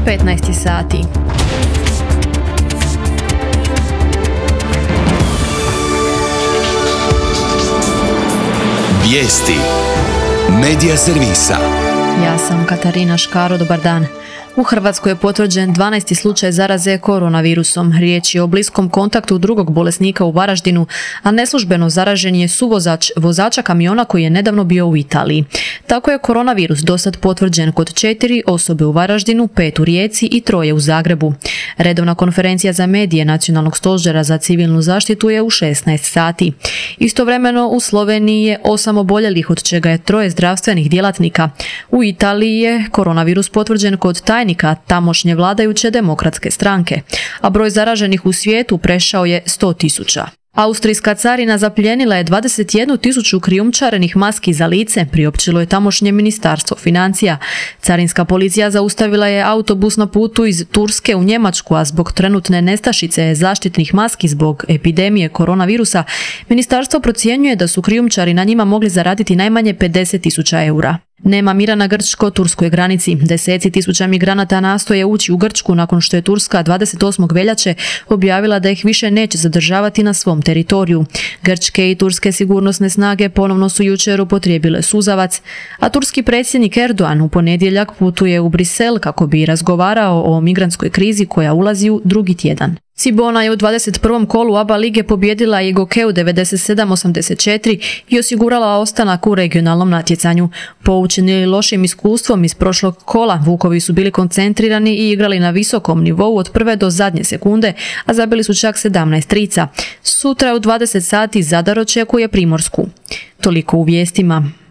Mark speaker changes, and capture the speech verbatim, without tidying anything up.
Speaker 1: petnaest sati.
Speaker 2: Vijesti Medija servisa.
Speaker 1: Ja sam Katarina Škaro, dobar dan. U Hrvatskoj je potvrđen dvanaesti slučaj zaraze koronavirusom. Riječ je o bliskom kontaktu drugog bolesnika u Varaždinu, a neslužbeno zaražen je suvozač vozača kamiona koji je nedavno bio u Italiji. Tako je koronavirus dosad potvrđen kod četiri osobe u Varaždinu, pet u Rijeci i troje u Zagrebu. Redovna konferencija za medije Nacionalnog stožera za civilnu zaštitu je u šesnaest sati. Istovremeno u Sloveniji je osam oboljelih, od čega je troje zdravstvenih djelatnika. U Italiji je koronavirus potvrđen kod tajnika tamošnje vladajuće demokratske stranke, a broj zaraženih u svijetu prešao je sto tisuća. Austrijska carina zapljenila je dvadeset jednu tisuću krijumčarenih maski za lice, priopćilo je tamošnje ministarstvo financija. Carinska policija zaustavila je autobus na putu iz Turske u Njemačku, a zbog trenutne nestašice zaštitnih maski zbog epidemije koronavirusa, ministarstvo procjenjuje da su krijumčari na njima mogli zaraditi najmanje pedeset tisuća eura. Nema mira na grčko-turskoj granici. Deseci tisuća migranata nastoje ući u Grčku nakon što je Turska dvadeset osmog veljače objavila da ih više neće zadržavati na svom teritoriju. Grčke i turske sigurnosne snage ponovno su jučer upotrijebile suzavac, a turski predsjednik Erdogan u ponedjeljak putuje u Brisel kako bi razgovarao o migrantskoj krizi koja ulazi u drugi tjedan. Cibona je u dvadeset prvom kolu A B A lige pobijedila i Gokeu devedeset sedam osamdeset četiri i osigurala ostanak u regionalnom natjecanju. Poučeni lošim iskustvom iz prošlog kola, Vukovi su bili koncentrirani i igrali na visokom nivou od prve do zadnje sekunde, a zabili su čak sedamnaest trica. Sutra u dvadeset sati Zadar očekuje Primorsku. Toliko u vijestima.